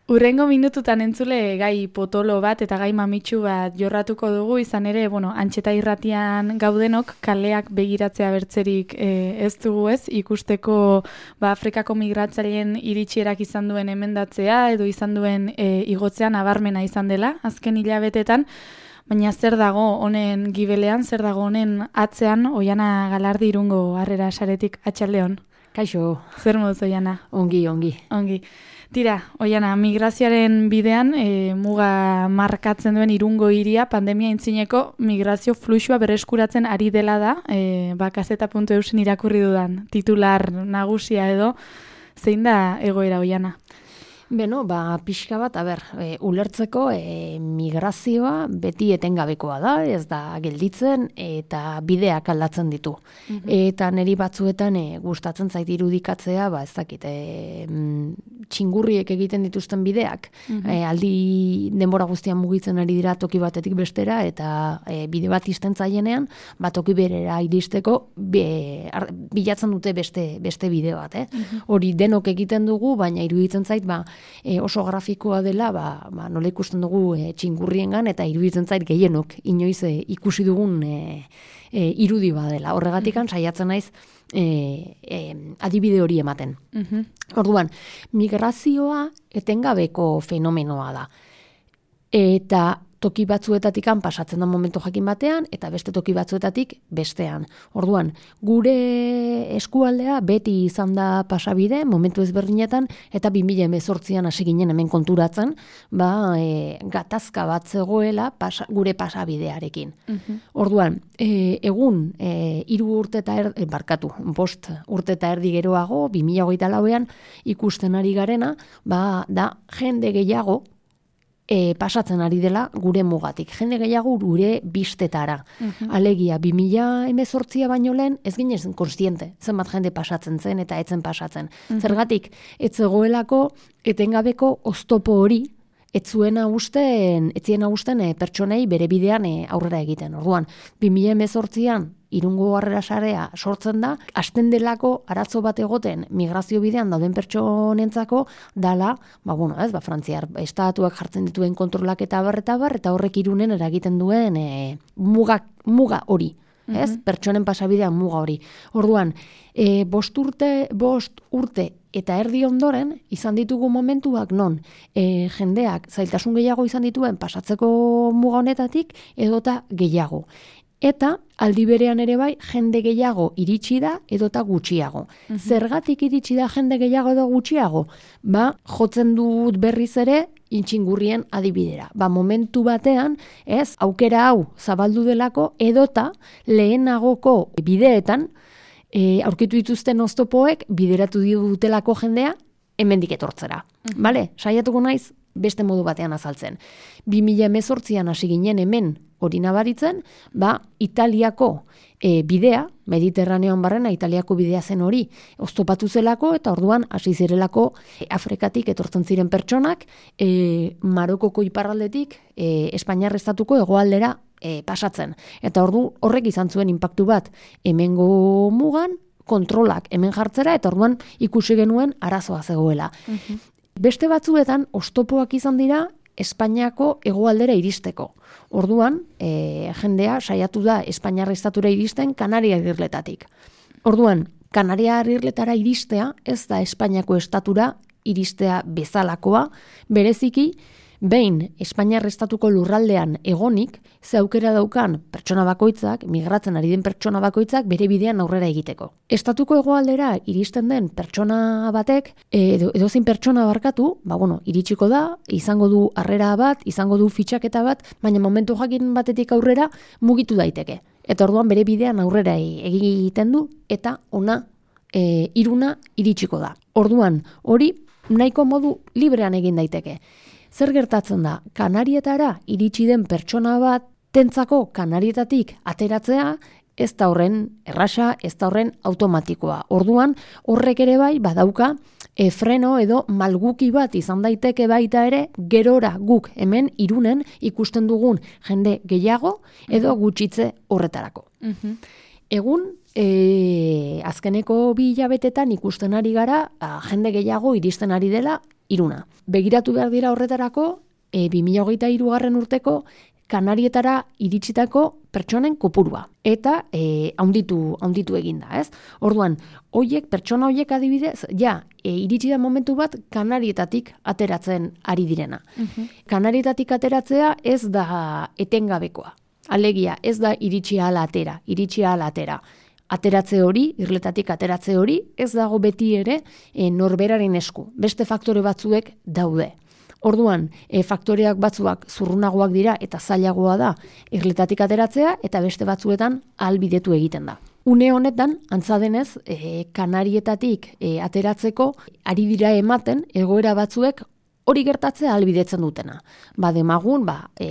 Urrengo minututan entzule gai potolo bat eta gai mamitsu bat jorratuko dugu, izan ere, Antxeta irratian gaudenok kaleak begiratzea bertzerik ez dugu ez, ikusteko Afrikako migratzaileen iritsierak izan duen emendatzea edo izan duen igotzean nabarmena izan dela, azken hilabetetan, baina zer dago honen gibelean, zer dago honen atzean, Oiana Galardi Irungo Harrera Saretik, atxaldeon. Kaixo. Zer moduz, Oiana? Ongi. Tira, Oiana, migrazioaren bidean muga markatzen duen Irungo hiria pandemia intzineko migrazio fluxua berreskuratzen ari dela da, kazeta.eusen irakurri dudan titular nagusia edo, zein da egoera, Oiana? Beno, pixka bat, ulertzeko migrazioa beti etengabekoa da, ez da gelditzen eta bideak aldatzen ditu. Eta niri batzuetan gustatzen zait irudikatzea, ez dakit, txingurriek egiten dituzten bideak, aldi denbora guztian mugitzen ari dira toki batetik bestera, eta bide bat izten zaienean, toki berera iristeko bilatzen dute beste bide bat. Hori denok egiten dugu, baina iruditzen zait, oso grafikoa dela, nola ikusten dugu txingurriengan, eta iruditzen zait gehienok inoiz ikusi dugun irudi badela. Horregatikan saiatzen naiz adibide hori ematen. Orduan, migrazioa etengabeko fenomenoa da. Eta toki batzuetatikan pasatzen da momentu jakin batean, eta beste toki batzuetatik bestean. Orduan, gure eskualdea beti izan da pasabide, momentu ezberdinetan, eta 2018an hasi ginen hemen konturatzen, gatazka bat zegoela gure pasabidearekin. Orduan, egun 5 urte eta erdi geroago, 2024an ikusten ari garena, da jende gehiago pasatzen ari dela gure mugatik. Jende gehiago gure bistetara. Alegia, 2018a baino lehen, ez ginen konstiente, zenbat jende pasatzen zen eta etzen pasatzen. Zergatik, ez zegoelako etengabeko oztopo hori, etzien hausten pertsonei bere bidean aurrera egiten. Orduan, 2018an Irungo Harrera Sarea sortzen da, hasten delako arazo bat egoten migrazio bidean dauden pertsonentzako dala, Frantziar estatuak jartzen dituen kontrolak eta eta horrek Irunen eragiten duen muga hori. Pertsonen pasabidean muga hori. Orduan, 5 urte eta erdi ondoren izan ditugu momentuak non jendeak zailtasun gehiago izan dituen pasatzeko muga honetatik edota gehiago. Eta aldi berean ere bai jende gehiago iritsi da edota gutxiago. Zergatik iritsi da jende gehiago edo gutxiago? Jotzen dut berriz ere intxingurrien adibidera. Momentu batean, aukera hau zabaldu delako edota lehenagoko bideetan aurkitu dituzten oztopoek bideratu dutelako jendea hemendik etortzera. Saiatuko naiz beste modu batean azaltzen. 2018an hasi ginen hemen hori nabaritzen, Italiako bidea, Mediterraneoan barrena Italiako bidea zen hori oztopatu zelako, eta orduan hasi zirelako Afrikatik etortzen ziren pertsonak, Marokoko iparraldetik Espainiar estatuko hegoaldera pasatzen. Eta horrek izan zuen inpaktu bat hemengo mugan, kontrolak hemen jartzera, eta orduan ikusi genuen arazoa zegoela. Beste batzuetan, oztopoak izan dira Espainiako hegoaldera iristeko. Orduan, jendea saiatu da Espainiar estatura iristen Kanaria irletatik. Orduan, Kanaria irletara iristea ez da Espainiako estatura iristea bezalakoa, bereziki, behin Espainiar estatuko lurraldean egonik, ze aukera daukan pertsona bakoitzak, migratzen ari den pertsona bakoitzak bere bidean aurrera egiteko. Estatuko hegoaldera iristen den pertsona batek, edozein pertsona barkatu, iritsiko da, izango du harrera bat, izango du fitxaketa bat, baina momentu jakin batetik aurrera mugitu daiteke. Eta orduan bere bidean aurrera egiten du, eta Iruna iritsiko da. Orduan, hori nahiko modu librean egin daiteke. Zer gertatzen da, Kanarietara iritsi den pertsona bat tentzako Kanarietatik ateratzea, ez da horren erraxa, ez da horren automatikoa. Orduan, horrek ere bai badauka freno edo malguki bat izan daiteke baita ere, gerora guk hemen Irunen ikusten dugun jende gehiago edo gutxitze horretarako. Egun, azkeneko 2 hilabetetan ikusten ari gara, jende gehiago iristen ari dela Iruna. Begiratu behar dira horretarako, 2023 urteko Kanarietara iritsitako pertsonen kopurua. Eta haunditu eginda, ez? Orduan, pertsona hoiek adibidez, iritsi da momentu bat Kanarietatik ateratzen ari direna. Kanarietatik ateratzea ez da etengabekoa. Alegia, ez da iritsi ala atera. Ateratze hori, irletatik ateratze hori, ez dago beti ere norberaren esku. Beste faktore batzuek daude. Orduan, faktoreak batzuak zurrunagoak dira eta zailagoa da irletatik ateratzea eta beste batzuetan ahalbidetu egiten da. Une honetan, antza denez, Kanarietatik ateratzeko ari dira ematen egoera batzuek hori gertatzea ahalbidetzen dutena. Demagun,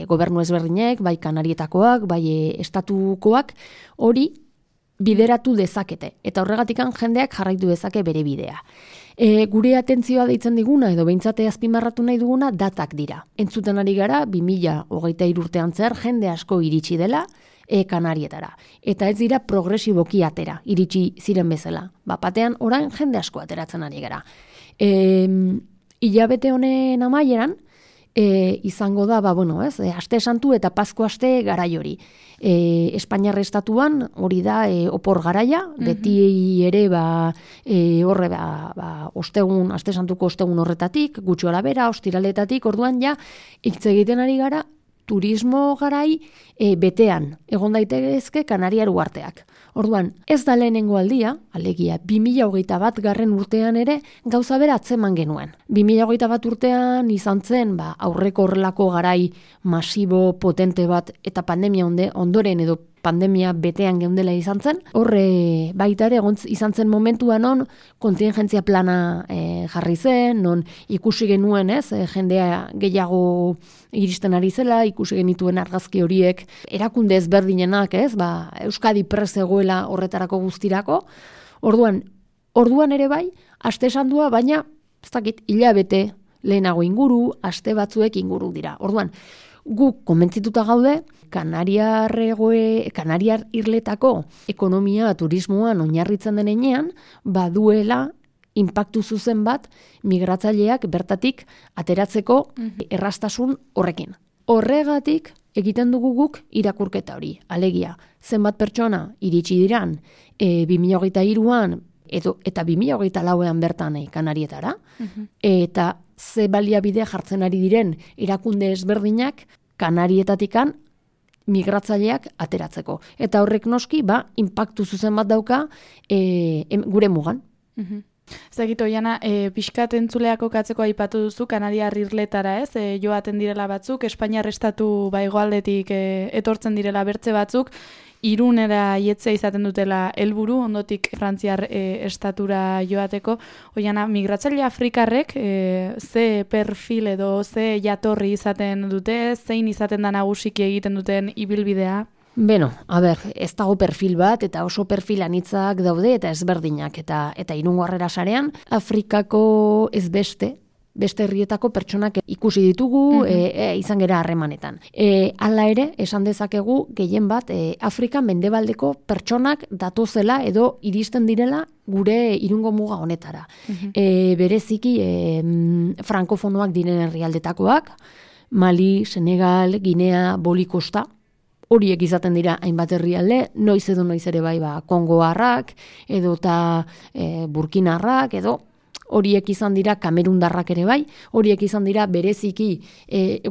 gobernu ezberdinek, bai Kanarietakoak, bai estatukoak, hori bideratu dezakete. Eta horregatikan jendeak jarraitu dezake bere bidea. Gure atentzioa deitzen diguna, edo behintzate azpimarratu nahi duguna, datak dira. Entzuten ari gara, 2023 urtean zer, jende asko iritsi dela, Kanarietara. Eta ez dira progresiboki atera, iritsi ziren bezala. Batean, orain jende asko ateratzen ari gara. Hilabete honen amaieran, izango da, aste santu eta Pasko aste garai hori. Espainiar estatuan hori da opor garaia, beti ere horre ostegun, aste santuko ostegun horretatik, gutxi bera, ostiraletatik, orduan hitz egiten ari gara, turismo garai betean, egon daitezke Kanariar uharteak. Orduan, ez da lehenengo aldia, alegia, 2021 urtean ere gauza bera atzeman genuen. 2021 urtean izan zen, aurreko horrelako garai masibo, potente bat, eta pandemia ondoren edo pandemia betean geundela izan zen. Horre baita ere izan zen momentuan non kontingentzia plana jarri zen, non ikusi genuen jendea gehiago iristen ari zela, ikusi genituen argazki horiek erakunde ezberdinenak, Euskadi prest egoela horretarako guztirako. Orduan ere bai, aste sandua, baina ez dakit, hilabete lehenago inguru, aste batzuek inguru dira. Orduan, guk konbentzituta gaude, Kanariar irletako ekonomia turismoan oinarritzen denean, baduela inpaktu zuzen bat migratzaileak bertatik ateratzeko erraztasun horrekin. Horregatik egiten dugu guk irakurketa hori. Alegia, zenbat pertsona iritsi diran 2023an eta 2024an bertan Kanarietara, eta ze baliabide jartzen ari diren erakunde ezberdinak Kanarietatikan migratzaileak ateratzeko. Eta horrek noski, inpaktu zuzen bat dauka gure mugan. Zagito, Jana, pixkat entzuleak okatzeko aipatu duzu, Kanariar irletara, joaten direla batzuk, Espainiar estatu hegoaldetik etortzen direla bertze batzuk, Irunera ietzea izaten dutela helburu, ondotik Frantziar estatura joateko. Oiana, migratzaile afrikarrek ze perfil edo ze jatorri izaten dute, zein izaten da nagusiki egiten duten ibilbidea? Ez dago perfil bat, eta oso perfil anitzak daude, eta ezberdinak, eta Irungo Harrera Sarean, Afrikako ez beste herrietako pertsonak ikusi ditugu, izan gera harremanetan. Hala ere, esan dezakegu, gehien bat, Afrika mendebaldeko pertsonak datozela edo iristen direla gure Irungo muga honetara. Bereziki, frankofonoak diren herrialdetakoak, Mali, Senegal, Ginea, Bolikosta, horiek izaten dira hainbat herrialde, noiz ere bai Kongoarrak, edo eta Burkinarrak, edo horiek izan dira Kamerundarrak ere bai, horiek izan dira bereziki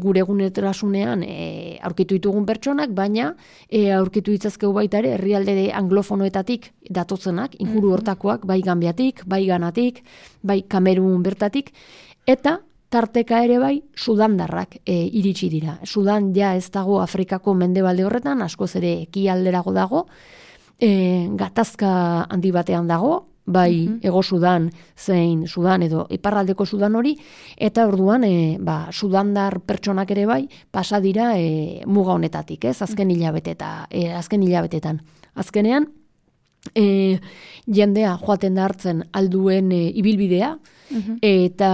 gure egunerasunean aurkitu ditugun pertsonak, baina aurkitu ditzazkegu baita ere herrialde anglofonoetatik datozenak, inguru hortakoak, bai Gambiatik, bai Ganatik, bai Kamerun bertatik, eta tarteka ere bai Sudandarrak iritsi dira. Sudan ez dago Afrikako mendebalde horretan, askoz ere ekialderago dago, gatazka handi batean dago, bai Ego Sudan zein Sudan edo iparraldeko Sudan hori, eta orduan Sudandar pertsonak ere bai pasa dira muga honetatik, azken hilabetetan. Azkenean, jendea joaten da hartzen alduen ibilbidea, eta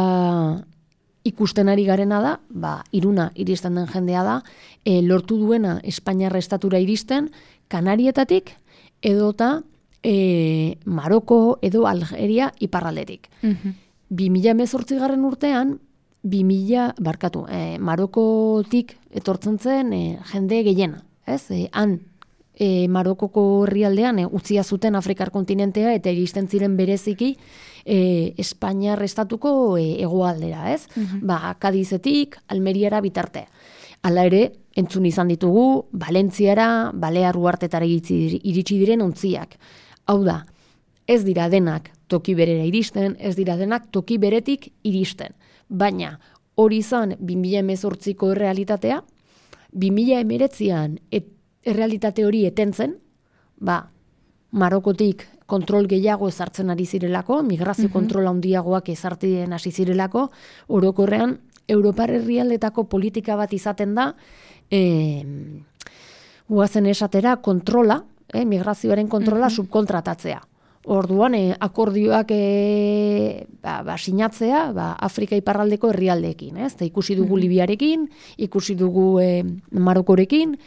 ikusten ari garena da, Iruna iristen den jendea da, lortu duena Espainiar estatura iristen, Kanarietatik edota Maroko edo Algeria iparraldetik. 2018 urtean, Marokotik etortzen zen jende gehiena, ez? Han Marokoko herrialdean utzia zuten Afrikar kontinentea eta iristen ziren bereziki Espainiar estatuko hegoaldera, ez? Kadizetik, Almeriara bitarte. Hala ere, entzun izan ditugu, Valentziara, Balear uhartetara iritsi diren ontziak. Hau da, ez dira denak toki berera iristen, ez dira denak toki beretik iristen. Baina, hori izan 2018ko errealitatea, 2019an errealitate hori etentzen, Marokotik kontrol gehiago ezartzen ari zirelako, migrazio kontrola handiagoak ezartzen hasi zirelako, orokorrean Europar herrialdetako politika bat izaten da, guazen esatera kontrola, migrazioaren kontrola subkontratatzea. Orduan, akordioak sinatzea Afrika iparraldeko herrialdeekin. Ikusi dugu Libiarekin, ikusi dugu Marokorekin,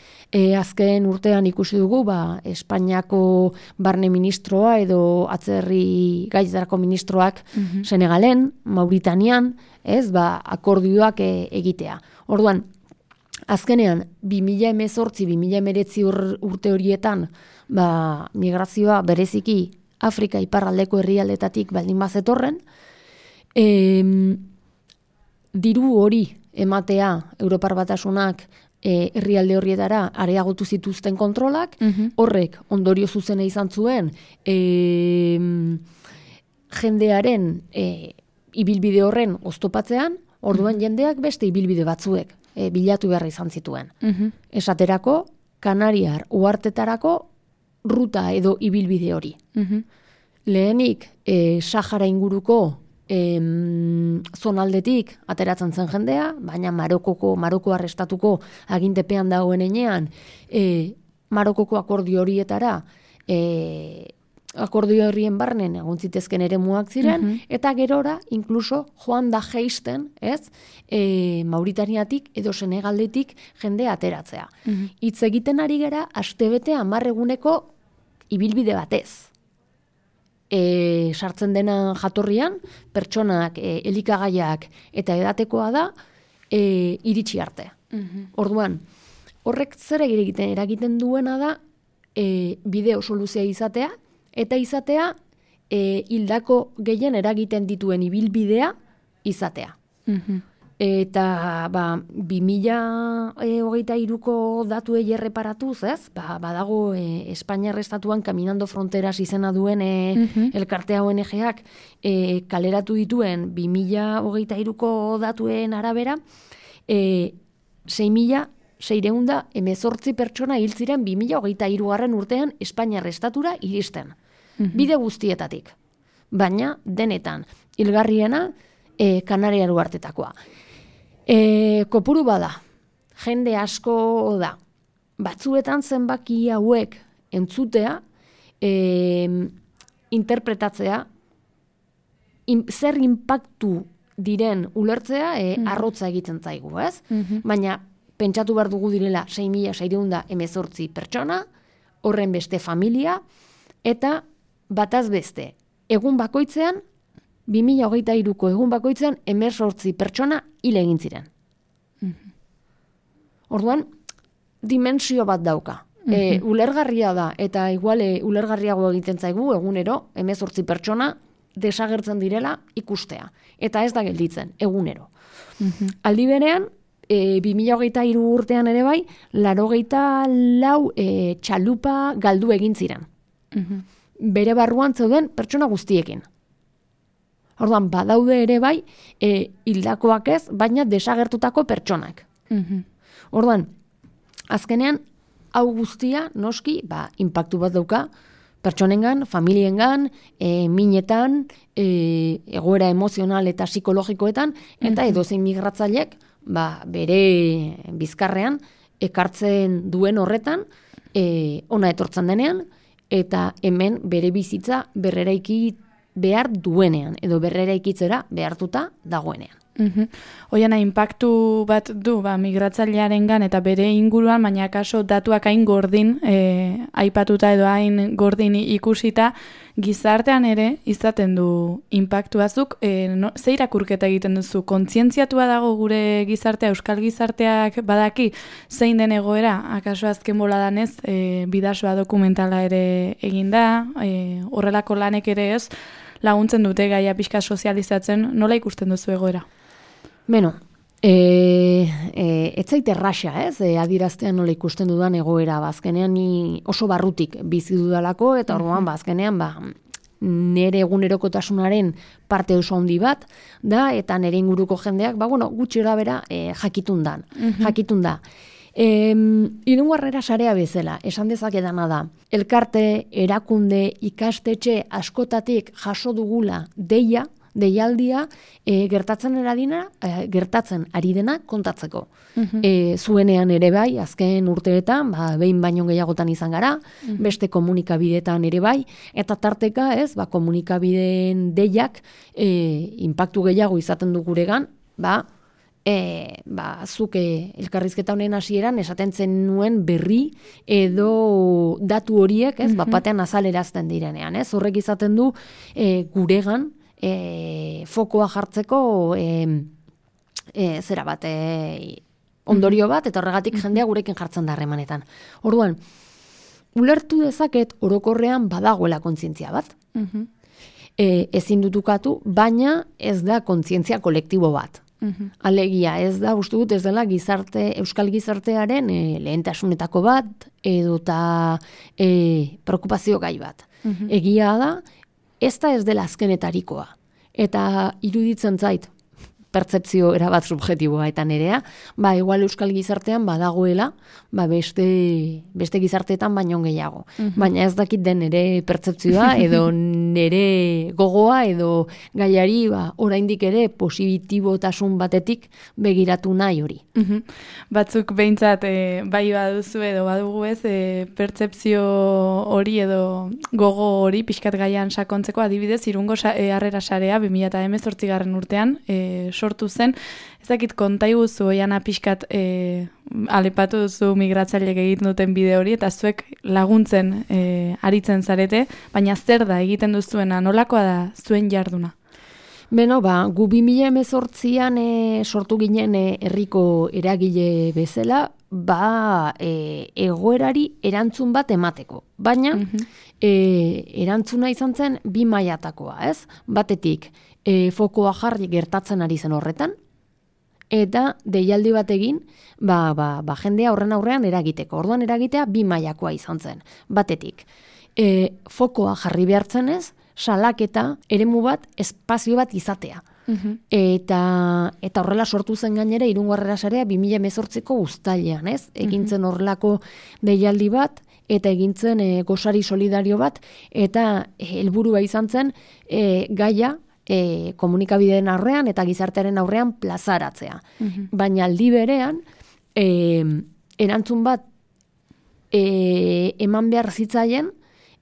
azken urtean ikusi dugu Espainiako barne ministroa edo atzerri gaitzarako ministroak Senegalen, Mauritanian, akordioak egitea. Orduan, azkenean, 2018-2019 urte horietan, migrazioa bereziki Afrika iparraldeko herrialdetatik baldin bazetorren, diru hori ematea Europar Batasunak herrialde horrietara areagotu zituzten kontrolak, horrek ondorio zuzena izan zuen jendearen ibilbide horren oztopatzean, orduan jendeak beste ibilbide batzuek bilatu beharra izan zituen. Esaterako, Kanariar uhartetarako ruta edo ibilbide hori. Lehenik, Sahara inguruko zonaldetik ateratzen zen jendea, baina Maroko arrestatuko agintepean dagoen enean, Marokoko akordio horietara, akordio horrien barnen egon zitezken eremuak ziren, eta gerora, inkluso, joan da jeisten, Mauritaniatik edo Senegaldetik jende ateratzea. Hitz egiten ari gera, astebete 10 eguneko ibilbide batez. Sartzen dena jatorrian, pertsonak, elikagaiak eta edatekoa da, iritsi arte. Orduan, horrek zer eragiten duena da, bideo soluzioa izatea, eta izatea, hildako gehien eragiten dituen ibilbidea izatea. Eta 2023ko datuei erreparatuz, badago Espainiar estatuan Caminando Fronteras izena duen elkartea ONG-ak kaleratu dituen 2023ko datuen arabera, 6.618 pertsona hil ziren 2023 urtean Espainiar estatura iristen. Bide guztietatik. Baina, denetan, hilgarriena Kanariar uhartetakoa. Kopuru bada, jende asko da, batzuetan zenbaki hauek entzutea, interpretatzea, zer inpaktu diren ulertzea, arrotza egiten zaigu, ez? Baina, pentsatu behar dugu direla 6.618 pertsona, horren beste familia, eta bataz beste, egun bakoitzean, 2023ko egun bakoitzean 18 pertsona hil egin ziren. Orduan, dimensio bat dauka. Ulergarria da, eta igual ulergarriago egiten zaigu egunero 18 pertsona desagertzen direla ikustea. Eta ez da gelditzen, egunero. Aldi berean, 2023 urtean ere bai, 84 txalupa galdu egin ziren. Bere barruan zeuden pertsona guztiekin. Orduan, badaude ere bai, hildakoak ez, baina desagertutako pertsonak. Orduan, azkenean, hau guztia, noski, inpaktu bat dauka, pertsonengan, familiengan, minetan, egoera emozional eta psikologikoetan, eta edozein migratzailek, bere bizkarrean, ekartzen duen horretan, ona etortzen denean, eta hemen bere bizitza berreraiki behar duenean, edo berreraikitzera behartuta dagoenean. Oiana, inpaktu bat du migratzailearengan eta bere inguruan, baina kaso datuak hain gordin, aipatuta edo hain gordin ikusita, gizartean ere izaten du inpaktu azuk. Ze irakurketa egiten duzu? Kontzientziatua dago gure gizartea, euskal gizarteak badaki zein den egoera? Akaso azken boladan ez, bidasoa dokumentala ere eginda, horrelako lanek ere ez, laguntzen dute gaia pixka sozializatzen, nola ikusten duzu egoera? Beno, ez zait erraxa, adiraztean nola ikusten dudan egoera, bazkenean ni oso barrutik bizi dudalako, eta orduan bazkenean nere egunerokotasunaren parte oso handi bat da, eta nere inguruko jendeak, gutxi bera jakitun da. Irungo sarea bezala, esan dezakedana da, elkarte, erakunde, ikastetxe askotatik jaso dugula deialdia gertatzen ari dena kontatzeko. Zuenean ere bai, azken urteetan, behin baino gehiagotan izan gara, beste komunikabideetan ere bai, eta tarteka komunikabideen deiak inpaktu gehiago izaten du guregan, zuk elkarrizketa honen hasieran esaten zen nuen berri edo datu horiek, batean azalerazten direnean, horrek izaten du guregan fokoa jartzeko ondorio bat, eta horregatik jendea gurekin jartzen da harremanetan. Orduan, ulertu dezaket orokorrean badagoela kontzientzia bat. Ezin dutukatu, baina ez da kontzientzia kolektibo bat. Alegia, ez da, uste dut, ez dela euskal gizartearen lehentasunetako bat, edota preokupazio gai bat. Egia da, ez dela azkenetarikoa. Eta iruditzen zait, pertzepzio erabat subjetiboa eta nerea, igual euskal gizartean badagoela, beste gizarteetan baino gehiago. Baina ez dakit den nere pertzepzioa edo nere gogoa edo gaiari oraindik ere positibotasun batetik begiratu nahi hori. Batzuk behintzat bai baduzu edo badugu ez, pertzepzio hori edo gogo hori pixkat gaian sakontzeko, adibidez, Irungo Harrera Sarea 2018 urtean sortu zen. Ez dakit kontaiguzu Oiana pixkat alepatu duzu migratzaileek egiten duten bide hori, eta zuek laguntzen aritzen zarete, baina zer da egiten duzuena, nolakoa da zuen jarduna? Beno, gu 2018an sortu ginen herriko eragile bezala, egoerari erantzun bat emateko. Baina, erantzuna izan zen 2 mailatakoa, ez? Batetik, fokoa jarri gertatzen ari zen horretan, eta deialdi bat egin, jendea horren aurrean eragiteko. Orduan eragitea 2 mailakoa izan zen. Batetik, fokoa jarri behartzen ez, salaketa eremu bat, espazio bat izatea. Eta horrela sortu zen gainera Irungo Harrera Sarea 2018ko uztailean, ez? Egintzen horrelako deialdi bat, eta egintzen gosari solidario bat, eta helburua izan zen gaia komunikabideen aurrean eta gizartearen aurrean plazaratzea. Baina aldi berean, erantzun bat eman behar zitzaien,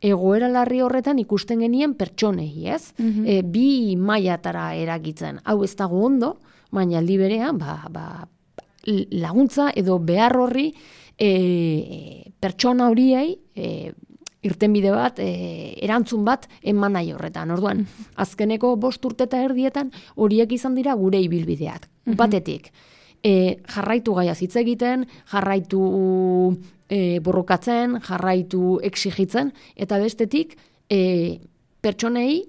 egoera larri horretan ikusten genien pertsonei, ez? 2 mailatara eragitzen. Hau ez dago ondo, baina aldi berean, laguntza edo behar horri pertsona horiei irtenbide bat, erantzun bat eman nahi horretan. Orduan, azkeneko 5 urte eta erdietan horiek izan dira gure ibilbideak. Batetik, jarraitu gaia hitz egiten, jarraitu borrokatzen, jarraitu exigitzen, eta bestetik pertsonei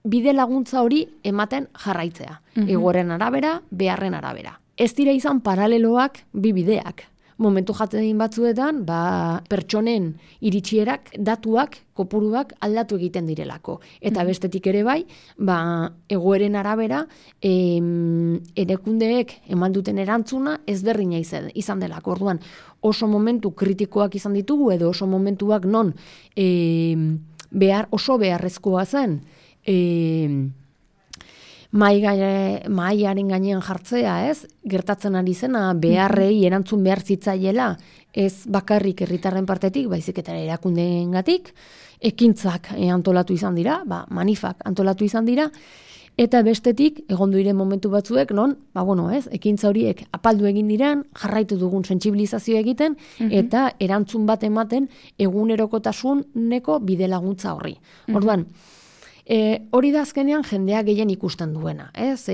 bide laguntza hori ematen jarraitzea. Egoeren arabera, beharren arabera. Ez dira izan paraleloak 2 bideak. Momentu jaten batzuetan, pertsonen iritsierak, datuak, kopuruak aldatu egiten direlako. Eta bestetik ere bai, egoeren arabera, erakundeek eman duten erantzuna ezberdina izan delako. Orduan, oso momentu kritikoak izan ditugu, edo oso momentuak non oso beharrezkoa zen, mahaiaren gainean jartzea, ez? Gertatzen ari zena, beharrei erantzun behar zitzaiela, ez bakarrik herritarren partetik, baizik eta erakundeengatik, ekintzak antolatu izan dira, manifak antolatu izan dira, Eta bestetik, egondu diren momentu batzuek, non, ekintza horiek apaldu egin diren, jarraitu dugun sentsibilizazio egiten, eta erantzun bat ematen egunerokotasuneko bide laguntza horri. Orduan, hori da azkenean jendea gehien ikusten duena, ez?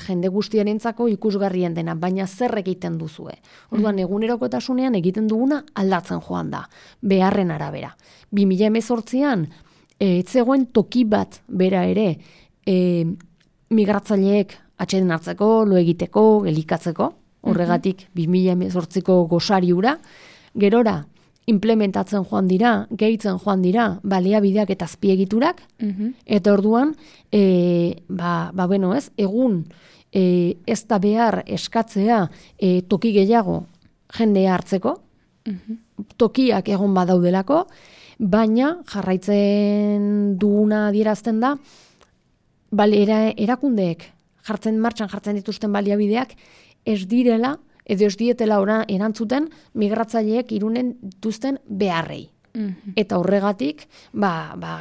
Jende guztiarentzako ikusgarrien dena, baina zer egiten duzue. Orduan, egunerokotasunean egiten duguna aldatzen joan da, beharren arabera. 2018an, zegoen toki bat bera ere, migratzaileek atxeden hartzeko, lo egiteko, elikatzeko, horregatik 2018ko gosari hura, gerora implementatzen joan dira, gehitzen joan dira, baliabideak eta azpiegiturak, eta orduan, egun ez da behar eskatzea toki gehiago jendea hartzeko, tokiak egon badaudelako, baina jarraitzen duguna adierazten da, erakundeek martxan jartzen dituzten baliabideak ez direla, edo ez dietela erantzuten migratzaileek irunen dituzten beharrei. Eta horregatik,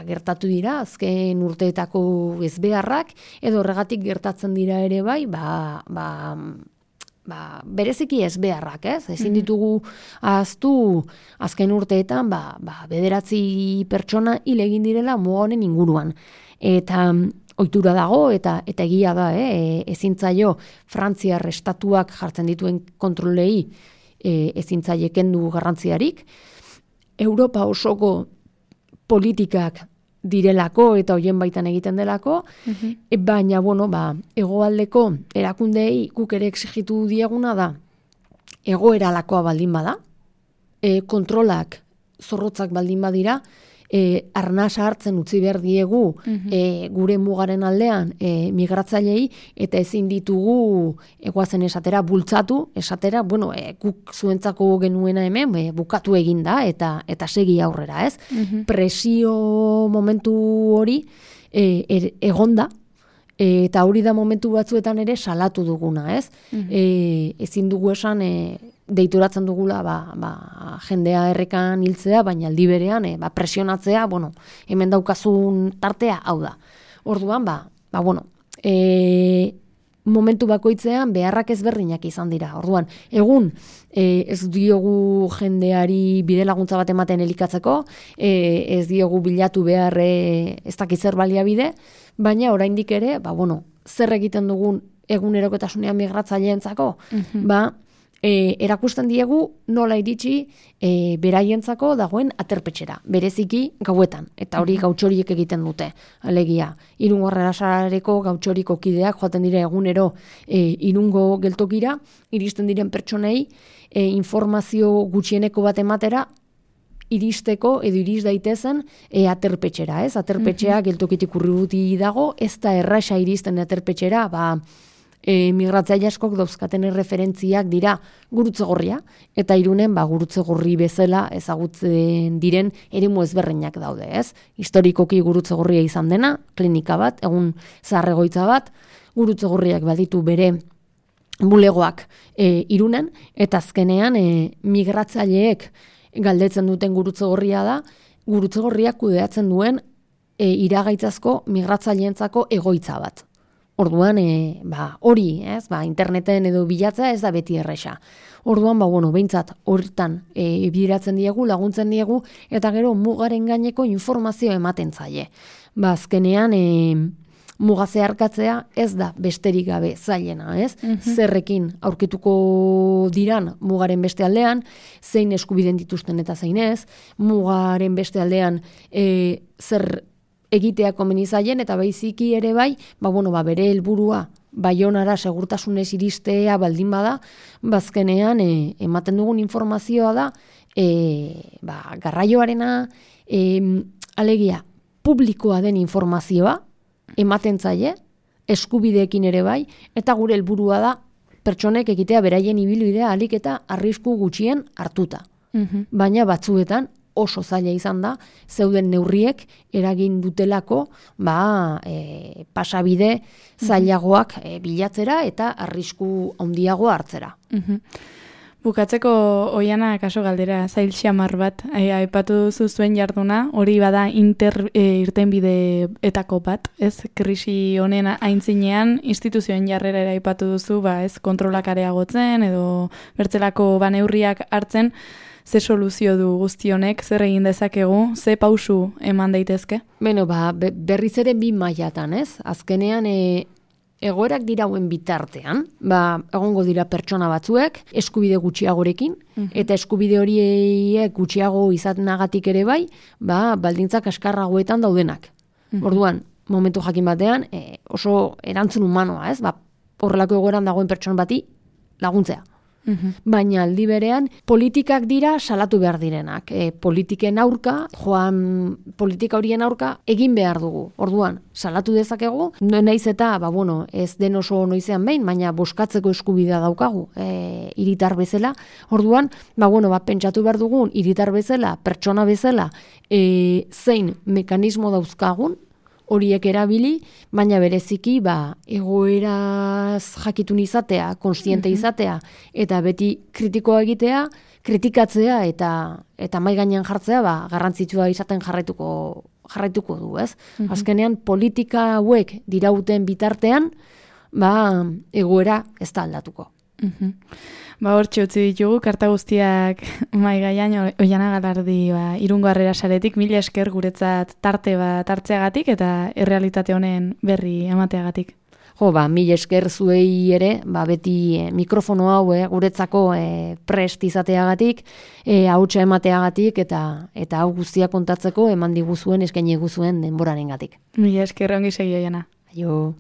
gertatu dira, azken urteetako ez beharrak, edo horregatik gertatzen dira ere bai, bereziki ez beharrak, ez? Ezin ditugu ahaztu azken urteetan, 9 pertsona hil egin direla muga honen inguruan. Eta ohitura dago, eta egia da, ezin zaio Frantziar estatuak jartzen dituen kontrolei ezin zaie kendu garrantziarik. Europa osoko politikak direlako eta hoien baitan egiten delako, baina, hegoaldeko erakundeei guk ere exigitu dieguna da, egoeralakoa baldin bada, kontrolak zorrotzak baldin badira, arnasa hartzen utzi behar diegu gure mugaren aldean migratzailei, eta ezin ditugu egoazen esatera bultzatu, esatera, guk zuentzako genuena hemen, bukatu egin da, eta segi aurrera, ez? Presio momentu hori egonda, eta hori da momentu batzuetan ere salatu duguna, ez? Ezin dugu esan deituratzen dugula jendea errekan hiltzea, baina aldi berean presionatzea, hemen daukazun tartea hau da. Orduan, momentu bakoitzean beharrak ezberdinak izan dira. Orduan, egun ez diogu jendeari bide laguntza bat ematen elikatzeko, ez diogu bilatu behar ez dakiz zer baliabide, baina oraindik ere, zer egiten dugun egunerokotasunean migratzaileentzako, erakusten diegu nola iritsi beraientzako dagoen aterpetxera, bereziki gauetan, eta hori gautxoriek egiten dute, alegia. Irungo Arrasareko gautxoriko kideak joaten dira egunero Irungo geltokira, iristen diren pertsonei informazio gutxieneko bat ematera, iristeko edo iris daitezen aterpetxera, ez? Aterpetxea geltokitik urruti dago, ez da erraxa iristen aterpetxera, migratzaile askok dauzkaten referentziak dira Gurutze Gorria, eta Irunen Gurutze Gorri bezala ezagutzen diren eremu ezberdinak daude, ez? Historikoki Gurutze Gorria izan dena, klinika bat, egun zahar-egoitza bat, Gurutze Gorriak baditu bere bulegoak Irunen, eta azkenean migratzaileek galdetzen duten Gurutze Gorria da, Gurutze Gorriak kudeatzen duen iragaitzazko migratzaileentzako egoitza bat. Orduan, hori, ez, interneten edo bilatzea ez da beti erresa. Orduan, behintzat, horretan bideratzen diegu, laguntzen diegu, eta gero mugaren gaineko informazio ematen zaie. Azkenean, muga zeharkatzea ez da besterik gabe zailena, ez? Zerrekin aurkituko diran mugaren beste aldean, zein eskubiden dituzten eta zein ez, mugaren beste aldean zer egitea komeni zaien, eta baiziki ere bai, bere helburua Baionara segurtasunez iristea baldin bada, bazkenean ematen dugun informazioa da, garraioarena, alegia, publikoa den informazioa, ematen zaie, eskubideekin ere bai, eta gure helburua da, pertsonek egitea beraien ibilbidea ahalik eta arrisku gutxien hartuta. Baina batzuetan, oso zaila izan da, zeuden neurriek eragin dutelako pasabide zailagoak bilatzera eta arrisku handiagoa hartzera. Bukatzeko Oiana kaso galdera zail xamar bat, aipatu duzu zuen jarduna, hori bada irtenbideetako bat, ez? Krisi honen aintzinean instituzioen jarrera ere aipatu duzu, ez kontrolak areagotzen edo bertzelako neurriak hartzen, ze soluzio du guzti honek, zer egin dezakegu, ze pausu eman daitezke? Beno, berriz ere bi mailatan, ez? Azkenean egoerak dirauen bitartean, egongo dira pertsona batzuek, eskubide gutxiagorekin, eta eskubide horiek gutxiago izatenagatik ere bai, baldintzak askarragoetan daudenak. Orduan, momentu jakin batean, oso erantzun humanoa, ez? Horrelako egoeran dagoen pertsona bati laguntzea. Baina aldi berean, politikak dira salatu behar direnak. Politiken aurka, politika horien aurka, egin behar dugu. Orduan, salatu dezakegu, naiz eta, ez den oso noizean behin, baina boskatzeko eskubidea daukagu, hiritar bezala. Orduan, pentsatu behar dugun, hiritar bezala, pertsona bezala, zein mekanismo dauzkagun, horiek erabili, baina bereziki egoeraz jakitun izatea, konstiente izatea, eta beti kritikoa egitea, kritikatzea eta mai gainean jartzea garrantzitsua izaten jarraituko du, ez? Azkenean politika hauek dirauten bitartean, egoera ez da aldatuko. Hortxe utzi ditugu, karta guztiak mai gaian, Oiana Galardi Irungo Harrera Saretik, mila esker guretzat tarte bat hartzeagatik eta errealitate honen berri emateagatik. Mila esker zuei ere, beti mikrofono hau guretzako prest izateagatik, hautsa emateagatik eta hau guztia kontatzeko eman diguzuen, eskaini diguzuen denborarengatik. Mila esker ongi segi, Oiana. Aio.